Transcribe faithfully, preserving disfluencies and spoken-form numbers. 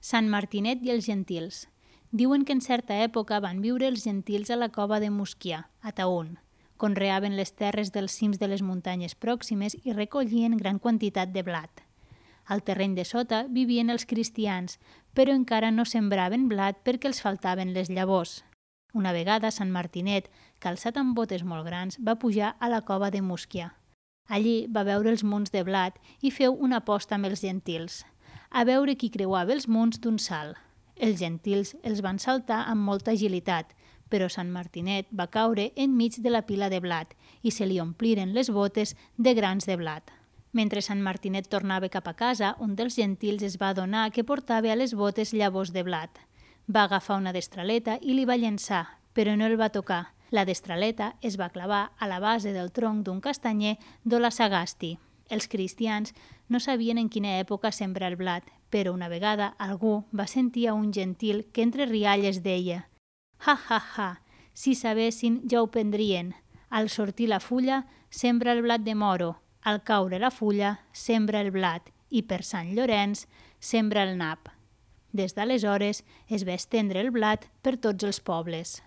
Sant Martinet i els gentils. Diuen que en certa època van viure els gentils a la cova de Musquià, a Taüll. Conreaven les terres dels cims de les muntanyes pròximes i recollien gran quantitat de blat. Al terreny de sota vivien els cristians, però encara no sembraven blat perquè els faltaven les llavors. Una vegada Sant Martinet, calçat amb botes molt grans, va pujar a la cova de Musquià. Allí va veure els munts de blat i feu una aposta amb els gentils, a veure qui creuava els munts d'un salt. Els gentils els van saltar amb molta agilitat, però Sant Martinet va caure enmig de la pila de blat i se li ompliren les botes de grans de blat. Mentre Sant Martinet tornava cap a casa, un dels gentils es va adonar que portava a les botes llavors de blat. Va agafar una destraleta i li va llençar, però no el va tocar. La destraleta es va clavar a la base del tronc d'un castanyer d'Ola Sagasti. Els cristians no sabien en quina època sembrar el blat, però una vegada algú va sentir a un gentil que entre rialles deia: «Ha, ha, ha, si sabessin ja ho prendrien. Al sortir la fulla, sembra el blat de moro. Al caure la fulla, sembra el blat i per Sant Llorenç, sembra el nap». Des d'aleshores es va estendre el blat per tots els pobles.